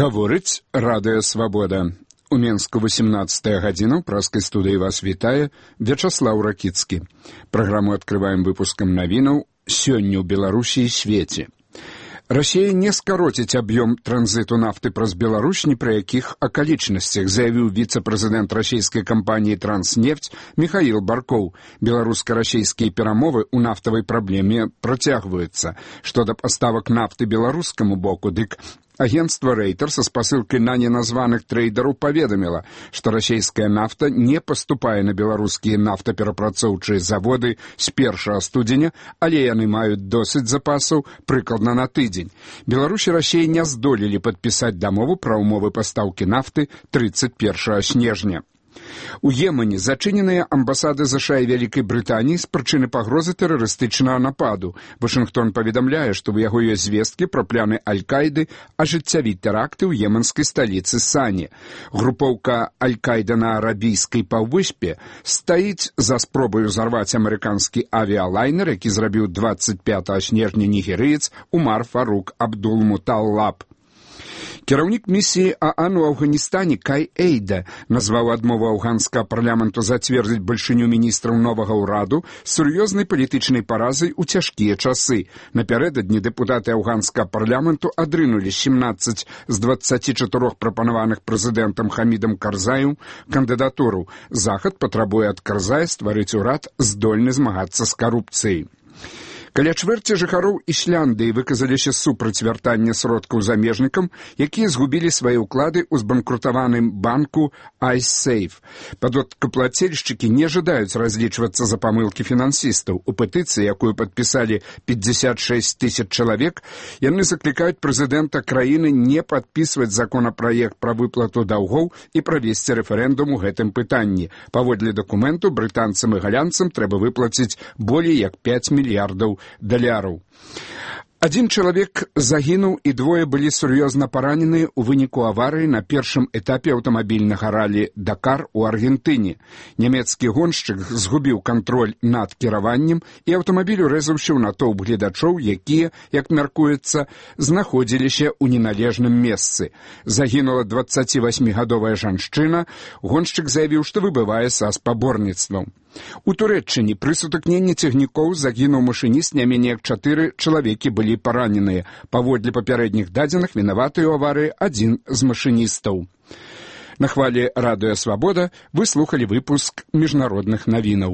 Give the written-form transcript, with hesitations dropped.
Гаворыць Радыё Свабода. У Менску 18 гадзіна, ў праскай студыі вас вітае Вячаслаў Ракіцкі. Праграму адкрываем выпускам навінаў «Сёння ў Беларусі і свеце». Расія не скароціць аб'ём транзіту нафты праз Беларусь ні пры якіх акалічнасцях, заявіў віцэ-прэзідэнт расійскай кампаніі «Транснефть» Михаил Баркоў. Беларуска-расійскія перамовы ў нафтавай праблеме працягваюцца. Што да паставак нафты беларускаму боку, дык агентство «Рейтер» со спасылкай на неназваных трейдераў паведаміла, што расійская нафта не паступае на беларускія нафтаперапрацоўчыя заводы з 1 студзеня, але яны маюць досыць запасаў прыкладна на тыдзень. Беларусь і Расія не здолелі падпісаць дамову пра ўмовы пастаўкі нафты 31 снежня. У Йемене зачыненыя амбасады США і Вялікай Брытаніі з прычыны пагрозы тэрарыстычнага нападу. Вашынгтон паведамляе, што ў яго ёсць звесткі пра планы Аль-Каіды ажыццявіць тэракты ў йеменскай сталіцы Сані. Групоўка Аль-Каіда на арабійскай паўвыспе стаіць за спробай узарваць амерыканскі авіялайнер, які зрабіў 25 снежня нігерыец Умар Фарук Абдул-Муталлаб. Кіраўнік місіі ААН у Афганістане Кай Эйда назваў адмову афганскага парламенту зацвердзіць бальшыню міністраў новага ўраду сур'ёзнай палітычнай паразай у цяжкія часы. Напярэдадні дэпутаты афганскага парламенту адрынулі 17 з 24 прапанаваных прэзідэнтам Хамідам Карзаем кандыдатуру. Захад патрабуе ад Карзая стварыць урад, здольны змагацца з карупцыяй. Каля чвэрці жыхароў Ісляндыі выказаліся супраць вяртання сродкаў замежнікам, якія згубілі свае ўклады ў збанкрутаваным банку iSafe. Падаткаплацельшчыкі не жадаюць разлічвацца за памылкі фінансістаў. У петыцыі, якую падпісалі 56 тысяч чалавек, яны заклікаюць прэзідэнта краіны не падпісваць законапраект пра выплату даўгоў і правесці рэферэндум у гэтым пытанні. Паводле дакументу брытанцам і галянцам трэба выплаціць болей як 5 мільярдаў даляраў. Адзін чалавек загінуў і двое былі сур'ёзна параненыя ў выніку аварыі на першым этапе аўтамабільнага ралі «Дакар» у Аргентыне. Нямецкі гоншчык згубіў кантроль над кіраваннем і аўтамабіль урэзаўся ў натоўп гледачоў, якія, як мяркуецца, знаходзіліся ў неналежным месцы. Загінула 28-гадовая жанчына. Гоншчык заявіў, што выбывае са спаборніцтваў. У Турэччыне пры сутыкненні цягнікоў загінуў машыніст, не меней як 4 чалавекі былі параненыя. Паводле папярэдніх дадзеных вінаваты ў аварыі адзін з машыністаў. На хвалі Радыё Свабода вы слухалі выпуск міжнародных навінаў.